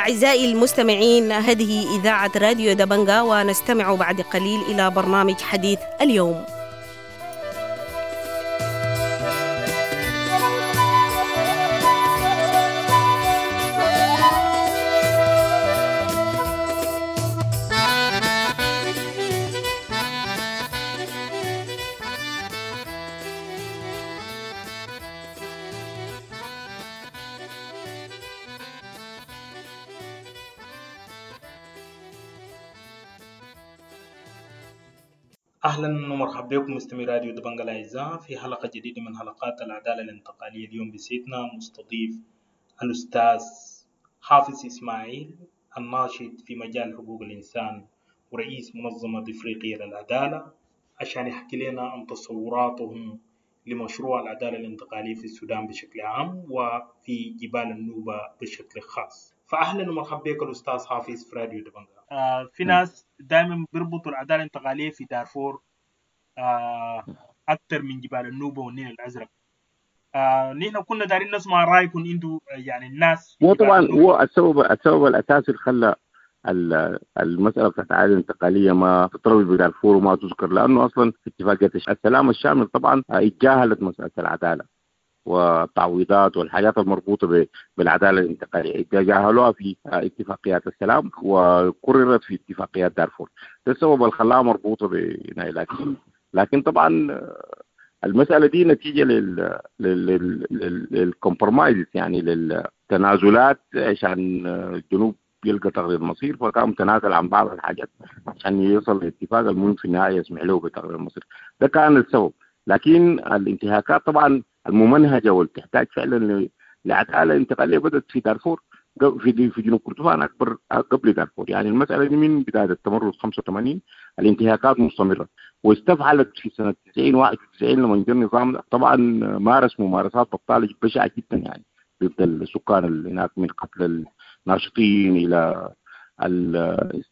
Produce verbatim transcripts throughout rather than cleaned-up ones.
أعزائي المستمعين، هذه إذاعة راديو دبنجا، ونستمع بعد قليل إلى برنامج حديث اليوم. أهلا ومرحبا بكم مستمعي راديو دبنجا الأعزاء في حلقة جديدة من حلقات العدالة الانتقالية. اليوم بسيدنا مستضيف الأستاذ حافظ إسماعيل، الناشط في مجال حقوق الإنسان ورئيس منظمة إفريقية للعدالة، عشان يحكي لنا عن تصوراتهم لمشروع العدالة الانتقالية في السودان بشكل عام وفي جبال النوبة بشكل خاص. فأهلا ومرحبا بك الأستاذ حافظ في راديو دبنجا. آه في ناس دائما بيربطوا العدالة الانتقالية في دارفور آه أكثر من جبال النوبة والنيل الأزرق. آه نحن كنا دارين نسمع رأيكم انتوا، يعني الناس. هو طبعا هو السبب السبب الأساسي اللي خلى المسألة بتاعت العدالة الانتقالية ما تتروج بدارفور وما تذكر، لأنه أصلا في اتفاقية السلام الشامل طبعا اتجاهلت مسألة العدالة والتعويضات والحاجات المربوطة بالعدالة الانتقالية، تجاهلوها في اتفاقيات السلام وقررت في اتفاقيات دارفور. ده السبب اللي خلاها مربوطة بنا. لكن لكن طبعا المسألة دي نتيجة لل لل لل compromise، يعني للتنازلات عشان الجنوب يلقى تقرير مصير، فكان تنازل عن بعض الحاجات عشان يوصل لاتفاق المهم في النهاية يسمح له بتقرير المصير. ده كان السبب. لكن الانتهاكات طبعا الممنهجة واللي تحتاج فعلا لعدالة انتقالية بدأت في دارفور، في في جنوب كردفان أكبر قبل دارفور. يعني المسألة دي من بداية التمرد خمسة وثمانين الانتهاكات مستمرة، واستفعلت في سنة تسعين واحد وتسعين لما جاء النظام طبعا مارس ممارسات بطالة بشعة جدا، يعني ضد السكان اللي هناك، من قتل الناشطين إلى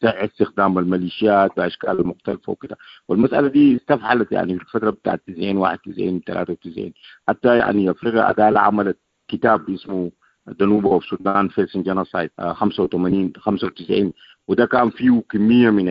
استخدام الميليشيات بأشكال مختلفة وكده. والمسألة دي استفحلت يعني في الفترة بتاعت تسعين واحد وتسعين ثلاثة وتسعين، حتى يعني أفريقيا عدالة عملت كتاب اسمه The Nuba of Sudan Facing Genocide خمسة وثمانين خمسة وتسعين، وده كان فيه كمية من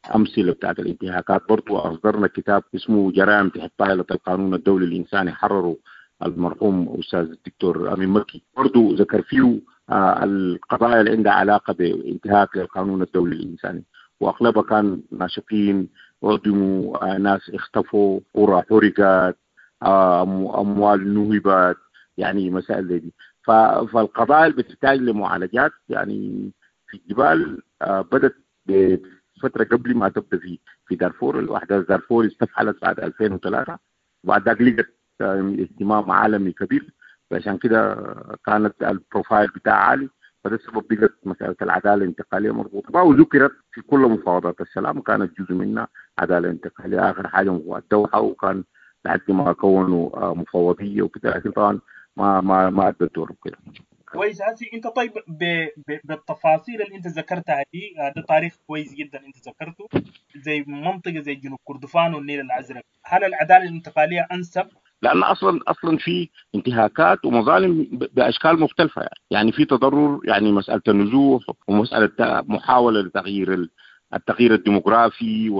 الأمثلة بتاعت الانتهاكات. برضو أصدرنا كتاب اسمه جرائم تحت طائلة القانون الدولي الإنساني، حرره المرحوم أستاذ الدكتور أمين مكي، برضو ذكر فيه آه القضايا اللي عندها علاقة بانتهاك للقانون الدولي الإنساني، وأغلبها كان ناشطين أعدموا، آه ناس اختفوا، قرى حرقت، آه أموال نهبت، يعني مسائل زي دي. فالقضايا اللي بتحتاج لمعالجات يعني في الجبال آه بدت بفترة قبل ما تبدأ في في دارفور. الأحداث دارفور استفحلت بعد ألفين وثلاثة، وبعد ذاك لقت اهتمام عالمي كبير، فعشان كده كانت ال profile بتاعها عالي، فده السبب بقت مسألة العدالة الانتقالية مربوطة، وذكرت في كل مفاوضات السلام كانت جزء منها عدالة انتقالية. آخر حاجة الدوحة، وكان لحد ما كونوا مفوضية وكده، لكن طبعا ما ما ما أدى الدور وكده. كويس هسي انت. طيب ب... ب... بالتفاصيل اللي انت ذكرتها دي، ده تاريخ كويس جدا انت ذكرته، زي منطقة زي جنوب كردفان والنيل الأزرق، هل العدالة الانتقالية أنسب؟ لأن أصلا أصلا في انتهاكات ومظالم بأشكال مختلفة، يعني يعني في تضرر، يعني مسألة النزوح ومسألة محاولة لتغيير التغيير الديموغرافي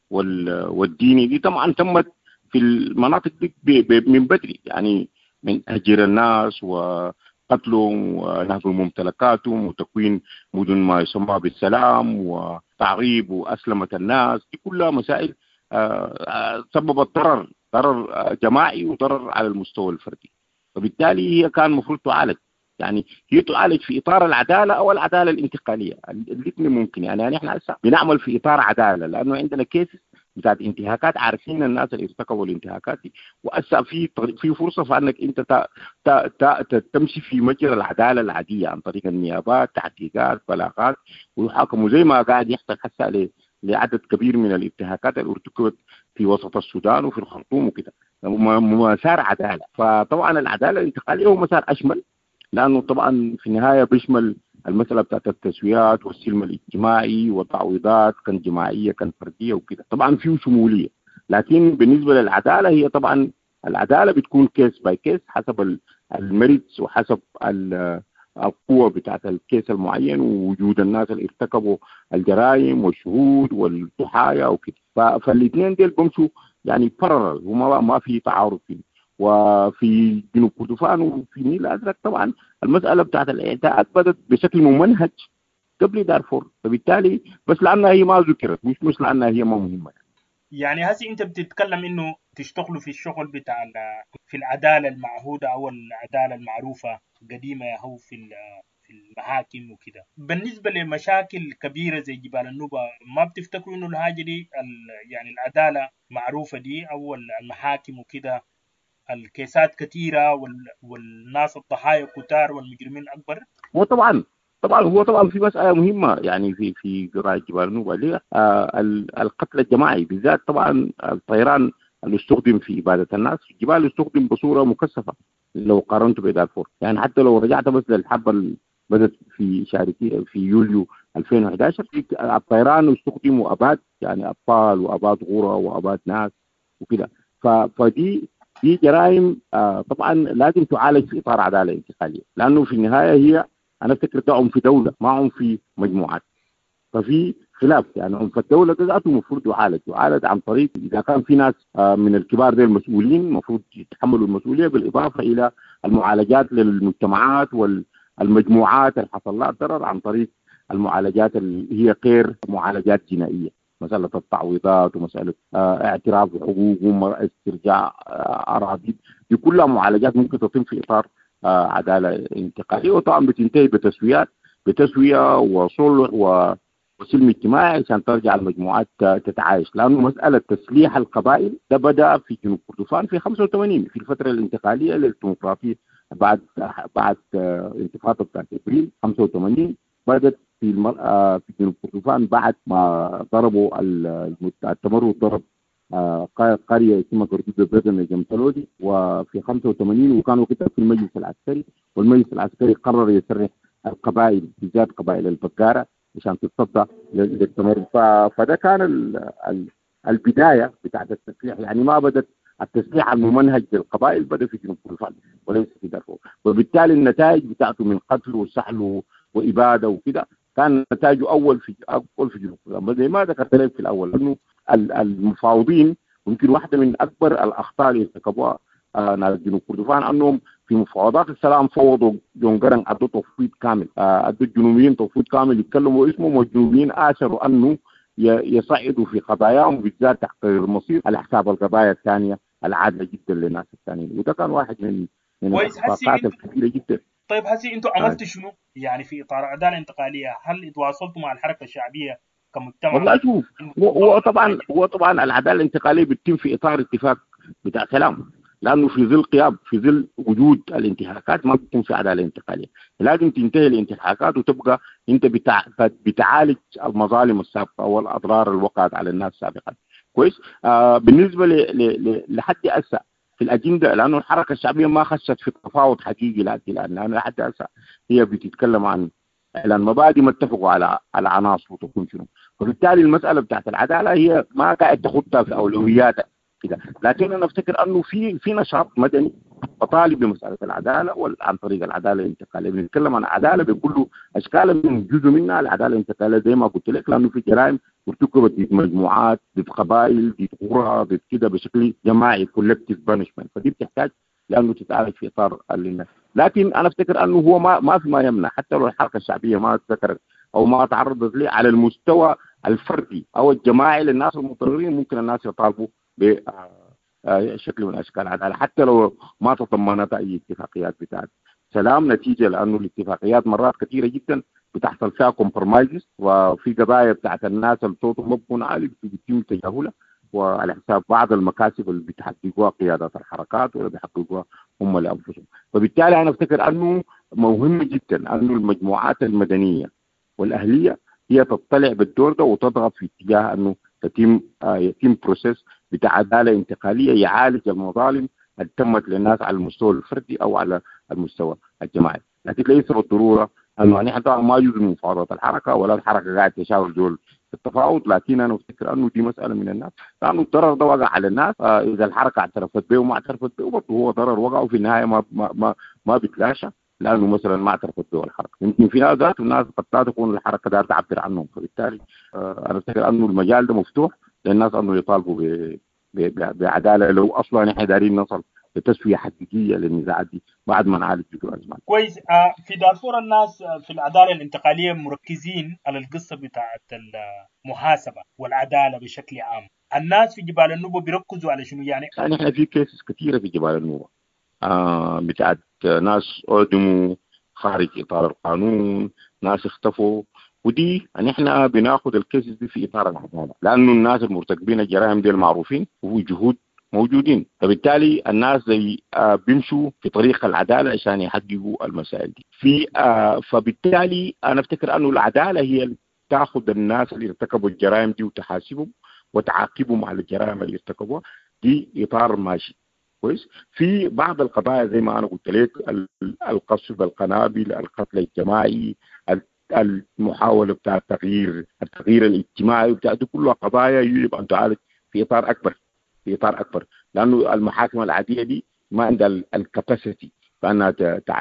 والديني، دي طبعا تمت في المناطق دي من بدري، يعني من تهجير الناس وقتلهم ونهب ممتلكاتهم وتكوين مدن ما يسمى بالسلام وتعريب وأسلمة الناس، دي كلها مسائل سببت ضرر ضرر جماعي وضرر على المستوى الفردي، فبالتالي هي كان المفروض تعالج، يعني هي تعالج في إطار العدالة أو العدالة الانتقالية، الاثنين ممكن. يعني, يعني احنا هسه بنعمل في إطار عدالة، لأنه عندنا cases بتاعت انتهاكات، عارفين الناس اللي ارتكبوا الانتهاكات دي، وهسه في في فرصة فانك انت تا تا تا تمشي في مجرى العدالة العادية عن طريق النيابات، تحقيقات، بلاغات، ويحاكموا زي ما قاعد يحصل هسه لعدد كبير من الانتهاكات اللي ارتكبت في وسط السودان وفي الخرطوم وكده، مسار عدالة. فطبعا العدالة الانتقالية هو مسار اشمل، لانه طبعا في النهاية بيشمل المسالة بتاعت التسويات والسلم الاجتماعي والتعويضات، كان جماعية كان فردية وكده، طبعا فيه شمولية. لكن بالنسبة للعدالة هي طبعا العدالة بتكون case by case حسب ال merits وحسب القوة بتاعت ال case المعين ووجود الناس اللي ارتكبوا الجرائم والشهود والضحايا وكده. فالاثنين ديل بمشوا يعني parallel وما ما في تعارض فيه. وفي جنوب كردفان وفي النيل الازرق طبعا المسالة بتاعت الاعتداءات بدت بشكل ممنهج قبل دارفور، فبالتالي بس لانها هي ما ذكرت، مش مش لانها هي ما مهمة. يعني هسي انت بتتكلم انه تشتغلوا في الشغل بتاع في العدالة المعهودة او العدالة المعروفة قديمة هو في في المحاكم وكده. بالنسبة لمشاكل كبيرة زي جبال النوبة، ما بتفتكروا انه الحاجة دي يعني العدالة معروفة دي او المحاكم وكده الكيسات كثيرة والناس الضحايا كتار والمجرمين اكبر؟ هو طبعا طبعا هو طبعا في مسالة مهمة يعني في في قضايا جبال النوبة اللي هي آه القتل الجماعي، بالذات طبعا الطيران اللي استخدم في ابادة الناس في الجبال استخدم بصورة مكثفة لو قارنته بدارفور. يعني حتى لو رجعت بس للحرب اللي بدت في شهر في يوليو ألفين وأحد عشر، الطيران استخدم واباد يعني اطفال واباد غرى واباد ناس وكده. فدي دي جرائم آه طبعا لازم تعالج في اطار عدالة انتقالية، لانه في النهاية هي انا افتكر ده عنف دولة ما عنف مجموعات، ففي خلاف. يعني عنف الدولة ده ذاته المفروض يعالج يعالج عن طريق اذا كان في ناس من الكبار دي المسؤولين المفروض يتحملوا المسؤولية، بالاضافة الى المعالجات للمجتمعات والمجموعات اللي حصل لها ضرر عن طريق المعالجات اللي هي غير معالجات جنائية، مسالة التعويضات ومسالة اعتراف بحقوقهم، استرجاع اراضي، دي كلها معالجات ممكن تتم في اطار عدالة انتقالية، وطبعا بتنتهي بتسويات بتسويه وصلح وسلم اجتماعي عشان ترجع المجموعات تتعايش. لانه مسالة تسليح القبائل ده بدا في جنوب كردفان في خمسة وثمانين في الفترة الانتقالية للديمقراطية بعد بعد انتفاضة بتاعت ابريل خمسة وثمانين، بدت في المرأة في جنوب كردفان بعد ما ضربوا التمرد، ضرب قرية اسمها كردود بردن جمتلودي وفي خمسة وثمانين، وكانوا كده في المجلس العسكري، والمجلس العسكري قرر يسرح القبائل بالذات قبائل البقاره عشان تتصدى للتمرد. فده كان ال البداية بتاعت التسليح. يعني ما بدت التسليح الممنهج للقبائل، بدا في جنوب كردفان وليس في دارفور، وبالتالي النتائج بتاعته من قتل وسحل واباده وكده كان نتائجه اول في اول في جنوب كردفان. زي ما ذكرت لك في الاول انه المفاوضين ممكن واحدة من اكبر الاخطاء اللي ارتكبوها ناس جنوب كردفان انهم في مفاوضات السلام فوضوا جون قرنق، ادوا تفويض كامل، ادوا الجنوبيين تفويض كامل يتكلموا اسمهم، والجنوبيين اثروا انه يصعدوا في قضاياهم بالذات تحقيق المصير على حساب القضايا الثانية العادلة جدا للناس الثانيين، وده كان واحد من من الاخفاقات الكبيرة جدا. طيب هسي انتوا عملتوا شنو يعني في اطار عدالة انتقالية؟ هل تواصلتوا مع الحركة الشعبية كمجتمع؟ والله شوف، هو طبعا هو طبعا العدالة الانتقالية بتتم في اطار اتفاق بتاع سلام، لانه في ظل قيام في ظل وجود الانتهاكات ما بتكون في عدالة انتقالية، لازم تنتهي الانتهاكات وتبقى انت بتع... بتعالج المظالم السابقة والاضرار اللي وقعت على الناس سابقا. كويس. آه بالنسبة ل... ل... لحد هسه في الاجندة، لانه الحركة الشعبية ما خشت في تفاوض حقيقي لحد الان، لانه لحد هسه هي بتتكلم عن اعلان مبادئ ما اتفقوا على على عناصر وتكون شنو، وبالتالي المسالة بتاعت العدالة هي ما قاعد تاخذها في اولوياتها كده. لكن انا افتكر انه في في نشاط مدني بطالب بمسالة العدالة عن طريق العدالة الانتقالية. بنتكلم عن عدالة بكل اشكالها، من جزء منها العدالة الانتقالية زي ما قلت لك، لانه في جرائم ارتكبت ضد مجموعات، ضد قبائل، ضد قرى، ضد كده بشكل جماعي collective punishment، فدي بتحتاج لانه تتعالج في اطار الناس. لكن انا افتكر انه هو ما ما في ما يمنع حتى لو الحركة الشعبية ما ذكرت او ما تعرضت ليه على المستوى الفردي او الجماعي للناس المتضررين، ممكن الناس يطالبوا بشكل من اشكال العدالة حتى لو ما تضمنت اي اتفاقيات بتاعت سلام، نتيجة لانه الاتفاقيات مرات كثيرة جدا بتحصل فيها compromises، وفي قضايا بتاعت الناس اللي صوتهم ما بيكون عالي بيتم تجاهلها وعلى حساب بعض المكاسب اللي بتحققوها قيادات الحركات ولا بيحققوها هم لانفسهم. فبالتالي انا افتكر انه مهم جدا انه المجموعات المدنية والاهليه هي تطلع بالدور ده وتضغط في اتجاه انه تتم آه يتم process بتاع عدالة انتقالية يعالج المظالم اللي تمت للناس على المستوى الفردي او على المستوى الجماعي. لكن ليس بالضرورة انه نحن طبعا ما جزء من مفاوضات الحركة ولا الحركة قاعدة تشاور دول في التفاوض، لكن انا افتكر انه دي مسالة من الناس، لانه الضرر ده وقع على الناس. آه اذا الحركة اعترفت به وما اعترفت به برضه هو ضرر وقع، وفي النهاية ما ما ما, ما بيتلاشى. لانه مثلا ما اعترفت به الحركة، يمكن في ناس ذات الناس قد لا تكون الحركة دار تعبر عنهم، فبالتالي آه انا افتكر انه المجال ده مفتوح للناس انه يطالبوا ب بعداله لو اصلا نحن دارين نصل لتسوية حقيقية للنزاعات دي بعد ما نعالج جذور الازمات. كويس. آه في دارفور الناس في العدالة الانتقالية مركزين على القصة بتاعت المحاسبة والعدالة بشكل عام. الناس في جبال النوبة بيركزوا على شنو يعني؟ يعني احنا في cases كثيرة في جبال النوبة آه بتاعت ناس اعدموا خارج اطار القانون، ناس اختفوا، ودي نحن بناخذ ال cases دي في اطار العدالة، لانه الناس المرتكبين الجرائم دي المعروفين وجهود موجودين، فبالتالي الناس زي آه بيمشوا في طريق العدالة عشان يحققوا المسائل دي. في آه فبالتالي انا افتكر انه العدالة هي تاخذ الناس اللي ارتكبوا الجرائم دي وتحاسبهم وتعاقبهم على الجرائم اللي ارتكبوها، دي اطار ماشي كويس. في بعض القضايا زي ما انا قلت لك، القصف بالقنابل، القتل الجماعي، المحاولة بتاع التغيير التغيير الاجتماعي بتاع دي كلها قضايا يجب ان تعالج في اطار اكبر، في اطار اكبر، لانه المحاكم العادية دي ما عندها ال capacity فانها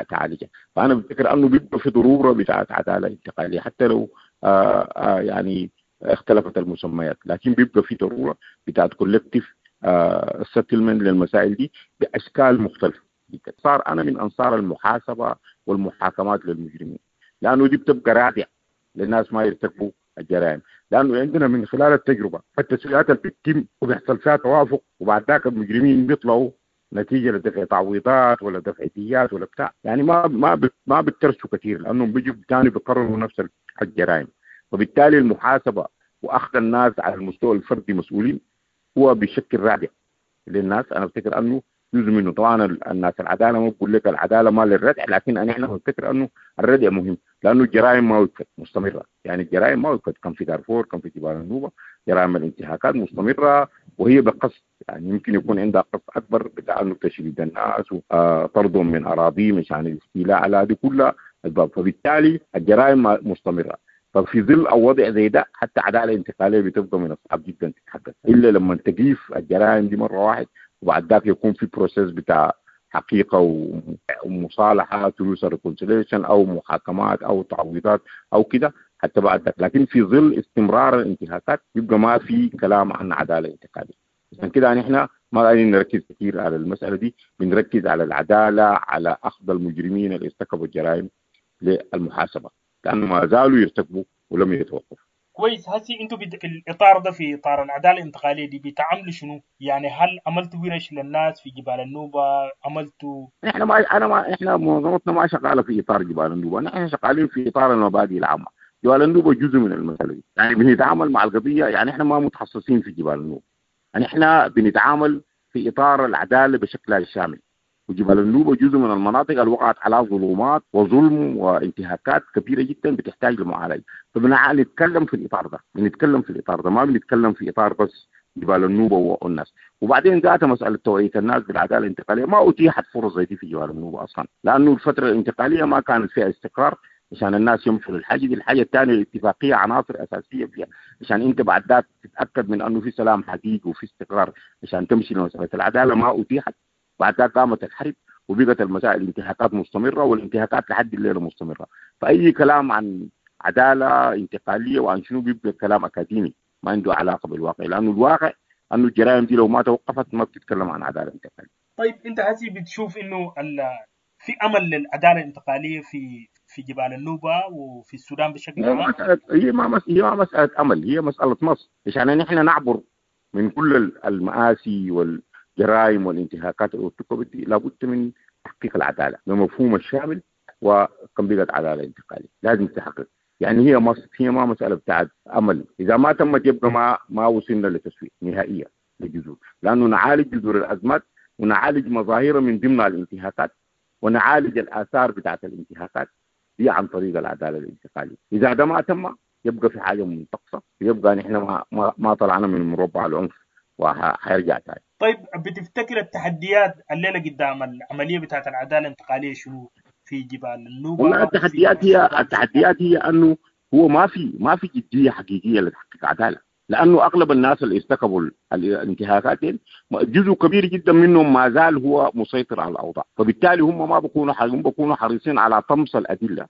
تعالجها. فانا بفتكر انه بيبقى في ضرورة بتاعت عدالة انتقالية حتى لو آآ آآ يعني اختلفت المسميات، لكن بيبقى في ضرورة بتاعت collective settlement للمسائل دي باشكال مختلفة. صار انا من انصار المحاسبة والمحاكمات للمجرمين، لانه دي بتبقى رادع للناس ما يرتكبوا الجرائم، لانه عندنا من خلال التجربة التسويات اللي بتتم وبيحصل فيها توافق، وبعد ذاك المجرمين بيطلعوا نتيجة لدفع تعويضات ولا دفع ديات ولا بتاع، يعني ما ما ما بترسوا كثير لانهم بيجوا ثاني بيقرروا نفس الجرائم. وبالتالي المحاسبة واخذ الناس على المستوى الفردي مسؤولين هو بشكل رادع للناس. انا افتكر انه جزء منه طبعا الناس العدالة ما بقول لك العدالة ما للردع، لكن انا احنا بنفتكر انه الردع مهم لانه الجرائم ما وقفت، مستمرة، يعني الجرائم ما وقفت، كان في دارفور، كان في جبال النوبة، جرائم الانتهاكات مستمرة وهي بقصد، يعني يمكن يكون عندها قصد اكبر بتاع انه تشريد الناس وطردهم من اراضيهم عشان الاستيلاء على هذه كلها اسباب، فبالتالي الجرائم مستمرة. ففي ظل او وضع زي ده حتى عدالة انتقالية بتبقى من الصعب جدا تتحدث الا لما تقيف الجرائم دي مرة واحد، وبعد ذاك يكون في process بتاع حقيقة ومصالحه truth reconciliation او محاكمات او تعويضات او كده حتى بعد ذاك. لكن في ظل استمرار الانتهاكات يبقى ما في كلام عن عدالة انتقالية. عشان كده نحن ما قاعدين نركز كثير على المسالة دي، بنركز على العدالة، على اخذ المجرمين اللي ارتكبوا الجرائم للمحاسبة، لانه ما زالوا يرتكبوا ولم يتوقفوا. كويس. هسي انتوا في الاطار ده، في اطار العدالة الانتقالية دي، بتعملوا شنو؟ يعني هل عملتوا ورش للناس في جبال النوبة؟ عملتوا احنا ما انا ما احنا منظمتنا ما شغالة في اطار جبال النوبة، نحن شغالين في اطار المبادئ العامة. جبال النوبة جزء من المسالة دي، يعني بنتعامل مع القضية، يعني احنا ما متخصصين في جبال النوبة، يعني احنا بنتعامل في اطار العدالة بشكلها الشامل. وجبال النوبة جزء من المناطق اللي وقعت على ظلمات وظلم وانتهاكات كبيرة جدا بتحتاج لمعالجة، فبنتكلم في الاطار ده، بنتكلم في الاطار ده، ما بنتكلم في اطار بس جبال النوبة والناس. وبعدين ذات مسالة توعيه الناس بالعدالة الانتقالية ما اتيحت فرص زي دي في جبال النوبة اصلا، لانه الفترة الانتقالية ما كانت فيها استقرار عشان الناس يمشوا للحاجة دي. الحاجة الثانية الاتفاقية عناصر اساسية فيها عشان انت بعد ذاك تتاكد من انه في سلام حقيقي وفي استقرار عشان تمشي لمسالة العدالة، ما اتيحت. بعد ذلك قامت الحرب وبقت المسائل الانتهاكات مستمرة، والانتهاكات لحد الليلة مستمرة. فاي كلام عن عدالة انتقالية وعن شنو بيبقى كلام اكاديمي ما عنده علاقة بالواقع، لانه الواقع انه الجرائم دي لو ما توقفت ما بتتكلم عن عدالة انتقالية. طيب انت هسي بتشوف انه في امل للعدالة الانتقالية في في جبال النوبة وفي السودان بشكل عام؟ هي ما هي ما مسالة امل، هي مسالة نص، عشان نحن نعبر من كل المآسي وال الجرائم والانتهاكات اللي ارتكبت دي لابد من تحقيق العدالة بمفهوم الشامل، وكم بقت عدالة انتقالية لازم تحقق. يعني هي مص... هي ما مسالة بتاعت امل، اذا ما تمت يبقى ما ما وصلنا لتسوية نهائية للجذور، لانه نعالج جذور الازمات ونعالج مظاهرها من ضمنها الانتهاكات ونعالج الاثار بتاعت الانتهاكات دي عن طريق العدالة الانتقالية. اذا ده ما تم يبقى في حاجة منتقصه، يبقى نحن ما ما, ما طلعنا من مربع العنف وحيرجع تاني. طيب بتفتكر التحديات الليلة قدام العملية بتاعت العدالة الانتقالية شنو في جبال النوبة؟ والله التحديات هي التحديات هي انه هو ما في ما في جدية حقيقية لتحقيق عدالة. لانه اغلب الناس اللي ارتكبوا الانتهاكات دي جزء كبير جدا منهم ما زال هو مسيطر على الاوضاع، فبالتالي هم ما بيكونوا هم بيكونوا حريصين على طمس الادلة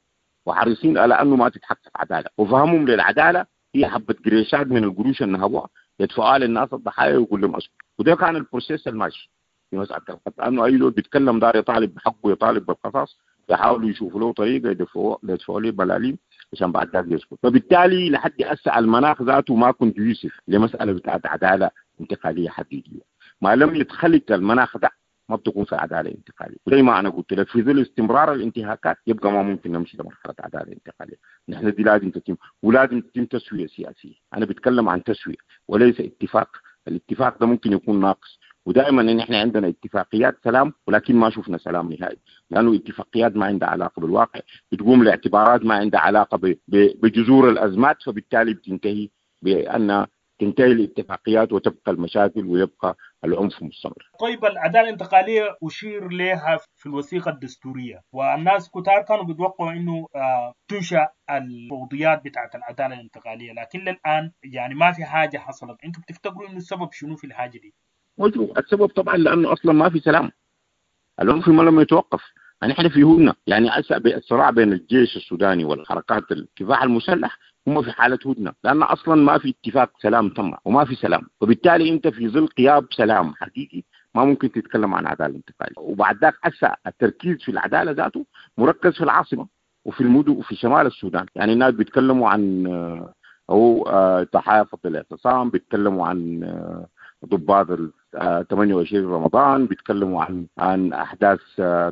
وحريصين على انه ما تتحقق عدالة، وفهمهم للعدالة هي حبه قريشات من القروش اللي نهبوها يدفعوها للناس الضحايا ويقول لهم اسكت. وده كان ال process الماشي في مسالة القتل، انه اي زول بيتكلم دار يطالب بحقه يطالب بالقصاص، يحاولوا يشوفوا له طريقه يدفعوا يدفعوا له بلالين عشان بعد ذاك يسكت. فبالتالي لحد هسه المناخ ذاته ما conducive لمسالة بتاعت عدالة انتقالية حقيقية. ما لم يتخلق المناخ ده ما بتكون في عدالة انتقالية. زي ما انا قلت لك في ظل استمرار الانتهاكات يبقى ما ممكن نمشي لمرحلة عدالة انتقالية. نحن دي لازم تتم، ولازم تتم تسويه سياسية. انا بتكلم عن تسويه وليس اتفاق. الاتفاق ده ممكن يكون ناقص، ودائما ان احنا عندنا اتفاقيات سلام ولكن ما شفنا سلام نهائي، لانه اتفاقيات ما عندها علاقة بالواقع، بتقوم لاعتبارات ما عندها علاقة بجذور الازمات، فبالتالي بتنتهي بان تنتهي الاتفاقيات وتبقى المشاكل ويبقى العنف مستمر. طيب العدالة الانتقالية اشير لها في الوثيقة الدستورية، والناس كتار كانوا بيتوقعوا انه تنشا المفوضيات بتاعت العدالة الانتقالية، لكن للان يعني ما في حاجة حصلت. انتم بتفتكروا انه السبب شنو في الحاجة دي؟ السبب طبعا لانه اصلا ما في سلام، العنف ما لم يتوقف. يعني احنا في هدنة، يعني الصراع بين الجيش السوداني والحركات الكفاح المسلح هم في حاله هدنة، لان اصلا ما في اتفاق سلام تم وما في سلام، وبالتالي انت في ظل غياب سلام حقيقي ما ممكن تتكلم عن عدالة انتقالية. وبعد ذاك هسه التركيز في العدالة ذاته مركز في العاصمة وفي المدن وفي شمال السودان. يعني الناس بيتكلموا عن او تحافظ الاعتصام، بيتكلموا عن ضباط ثمانية وعشرين رمضان، بيتكلموا عن عن احداث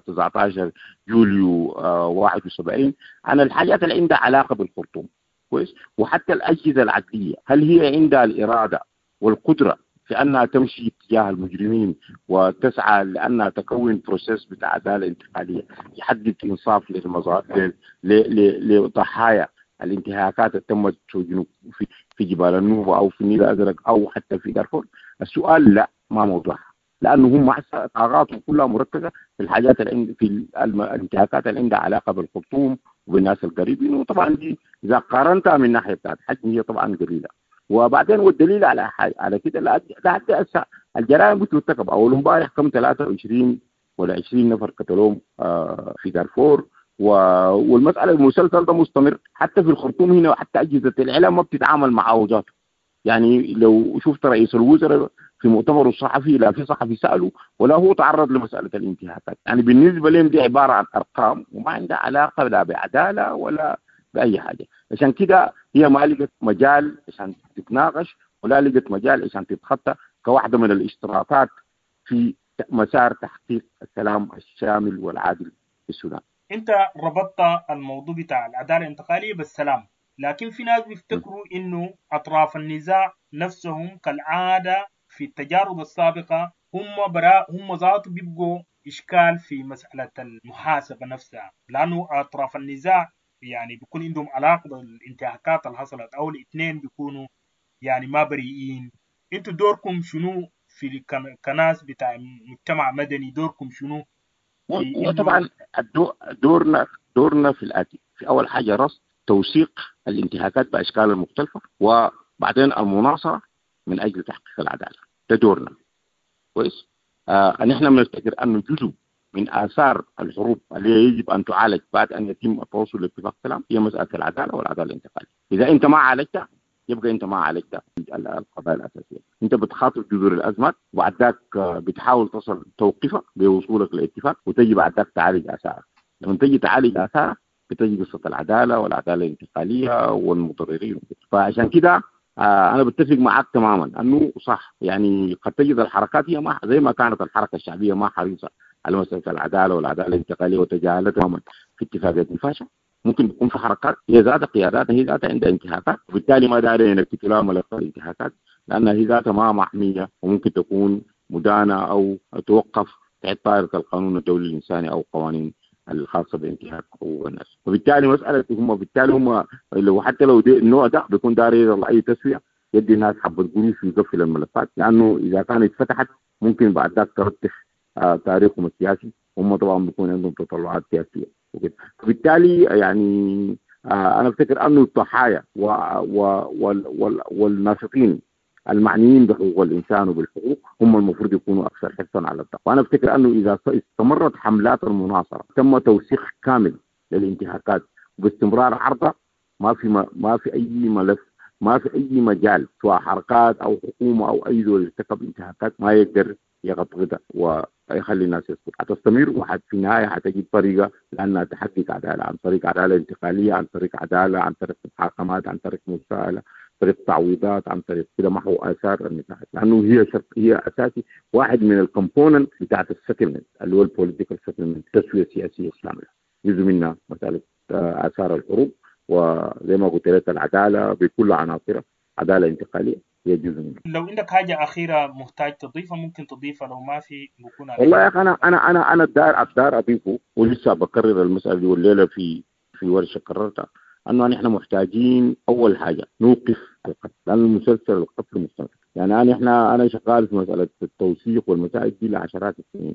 تسعة عشر يوليو واحد وسبعين، عن الحاجات اللي عندها علاقة بالخرطوم. كويس. وحتى الاجهزة العدليه هل هي عندها الارادة والقدرة في انها تمشي اتجاه المجرمين وتسعى لانها تكون process بتاع عدالة انتقالية يحدد انصاف للمظاهر لضحايا الانتهاكات اللي تمت في جنوب في في جبال النوبة او في النيل الازرق او حتى في دارفور؟ السؤال لا، ما موضوعها، لانه هم طاقاتهم كلها مركزه في الحاجات اللي في الانتهاكات اللي عندها علاقة بالخرطوم وبالناس القريبين. وطبعا دي اذا قارنتها من ناحية بتاعت حجم هي طبعا قليله. وبعدين والدليل على حاجة على كده لحد هسه الجرائم بترتكب. اول امبارح كم ثلاثة وعشرين ولا عشرين نفر قتلوهم في دارفور، والمسالة المسلسل ده مستمر حتى في الخرطوم هنا، وحتى اجهزة الاعلام ما بتتعامل معه ذاته. يعني لو شفت رئيس الوزراء في مؤتمره الصحفي لا في صحفي سأله ولا هو تعرض لمسألة الانتهاكات. يعني بالنسبة لهم دي عبارة عن أرقام وما عندها علاقة لا بعدالة ولا بأي حاجة. عشان كده هي ما لقت مجال عشان تتناقش ولا لقت مجال عشان تتخطى كواحدة من الاشتراطات في مسار تحقيق السلام الشامل والعادل في السودان. انت ربطت الموضوع بتاع العدالة الانتقالية بالسلام، لكن في ناس بيفتكروا انه اطراف النزاع نفسهم كالعادة في التجارب السابقة هم براء هم ذات بيبقوا اشكال في مسالة المحاسبة نفسها، لانه اطراف النزاع يعني بيكون عندهم علاقة بالانتهاكات اللي حصلت، او الاثنين بيكونوا يعني ما بريئين. انتوا دوركم شنو في كناس بتاع مجتمع مدني؟ دوركم شنو؟ وطبعا دورنا دورنا في الاتي: في اول حاجة رصد توثيق الانتهاكات باشكالها المختلفة، وبعدين المناصره من اجل تحقيق العدالة. ده دورنا. كويس. آه نحن بنفتكر انه جزء من اثار الحروب اللي يجب ان تعالج بعد ان يتم التوصل لاتفاق سلام هي مسالة العدالة والعدالة الانتقالية. اذا انت ما عالجتها يبقى انت ما عالجت القضايا الاساسية. انت بتخاطب جذور الازمات وبعد ذاك بتحاول تصل توقفها بوصولك لاتفاق، وتجي بعد ذاك تعالج اثارها. لما تجي تعالج اثارها بتجي قصة العدالة والعدالة الانتقالية والمتضررين. فعشان كده آه انا بتفق معك تماما انه صح، يعني قد تجد الحركات هي ما زي ما كانت الحركة الشعبية ما حريصة على مسالة العدالة والعدالة الانتقالية وتجاهلتها تماما في اتفاقية نفاشا. ممكن تكون في حركات هي ذات قيادات هي ذاتها عندها انتهاكات، وبالتالي ما داري ينكتوا لها ملف الانتهاكات لانها هي ذاتها ما محمية وممكن تكون مدانه او توقف تحت طائره القانون الدولي الانساني او قوانين الخاصة بانتهاك حقوق الناس. وبالتالي مسالة هم بالتالي هم لو حتى لو النوع ده بيكون داري يلا اي تسويه يدي الناس حبه قروش ويقفل الملفات، لانه اذا كانت اتفتحت ممكن بعد ذاك ترتخ آه تاريخهم السياسي، هم طبعا بيكون عندهم تطلعات سياسية وكده. فبالتالي يعني آه انا افتكر انه الضحايا و و وال وال والناشطين المعنيين بحقوق الانسان وبالحقوق هم المفروض يكونوا اكثر حرصا على الدقة، وانا افتكر انه اذا استمرت حملات المناصره تم توثيق كامل للانتهاكات وباستمرار عرضها، ما في ما في اي ملف، ما في اي مجال سواء حركات او حكومة او اي دول ارتكب انتهاكات ما يقدر يغطغطها ويخلي الناس يسكت. حتستمر وحت في النهاية حتجد طريقه لانها تحقق عدالة، عن طريق عدالة انتقالية، عن طريق عدالة، عن طريق محاكمات، عن طريق مساءله، طريق تعويضات، عن طريق كده محو اثار النزاعات، لانه هي شرط، هي اساسي واحد من ال component بتاعت ال settlement اللي هو ال political settlement، التسوية السياسية الشاملة، جزء منها مسالة اثار الحروب، وزي ما قلت لك العدالة بكل عناصرها، عدالة انتقالية هي جزء منها. لو عندك حاجة اخيرة محتاج تضيفها ممكن تضيفها، لو ما في بكون والله يا اخي انا انا انا انا الدار الدار اضيفه، ولسه بكرر المسالة دي والليلة في في ورشه كررتها، انه نحن محتاجين اول حاجة نوقف القتل، لان المسلسل القتل مستمر. يعني انا احنا انا شغال في مسالة التوثيق والمسائل دي لعشرات السنين،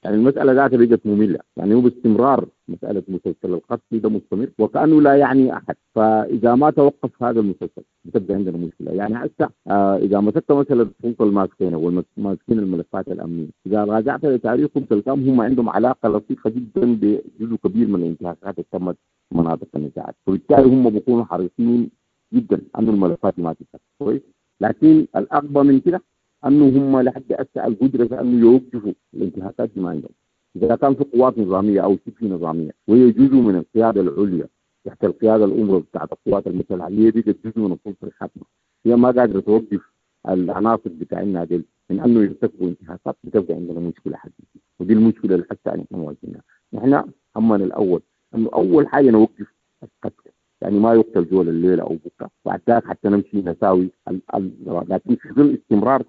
يعني المسألة ذاتها بقت مملة، يعني هو باستمرار مسألة مسلسل القتل ده مستمر وكأنه لا يعني أحد. فإذا ما توقف هذا المسلسل بتبقى عندنا مشكلة. يعني هسه آه إذا مسكت مثلا السلطة الماسكين والماسكين الملفات الأمنية، إذا راجعت لتاريخهم تلقاهم هم عندهم علاقة لطيفة جدا بجزء كبير من الانتهاكات اللي تمت في مناطق النزاعات، وبالتالي هم بيكونوا حريصين جدا أنه الملفات ما تتفتح كويس. لكن الأغبى من كده انه هم لحد هسه القدرة في انه يوقفوا الانتهاكات دي ما عندهم. اذا كان في قوات نظامية او شبه نظامية وهي جزء من القيادة العليا تحت القيادة الامر بتاعت القوات المسلحة اللي هي بقت جزء من السلطة الحاكمة، هي ما قادرة توقف العناصر بتاعنا دي من انه يرتكبوا انتهاكات، بتبقى عندنا مشكلة حقيقية، ودي المشكلة اللي حتى نحن مواجهينها. نحن همنا الاول انه اول حاجة نوقف القتل، يعني ما يقتل زول الليلة او بكره بعد ذاك حتى نمشي نساوي ال ال لكن في ظل استمرار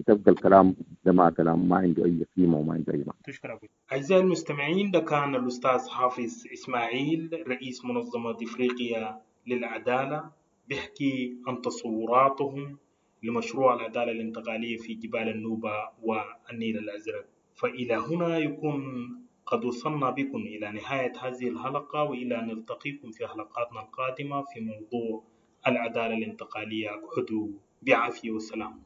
تبقى الكلام ده ما كلام ما عنده اي قيمة وما عنده اي معنى. تشكر أبو. اعزائي المستمعين، ده كان الاستاذ حافظ اسماعيل رئيس منظمة افريقيا للعدالة، بيحكي عن تصوراتهم لمشروع العدالة الانتقالية في جبال النوبة والنيل الازرق. فالى هنا يكون قد وصلنا بكم إلى نهاية هذه الحلقة، وإلى أن نلتقيكم في حلقاتنا القادمة في موضوع العدالة الانتقالية. اقعدوا بعافية والسلام.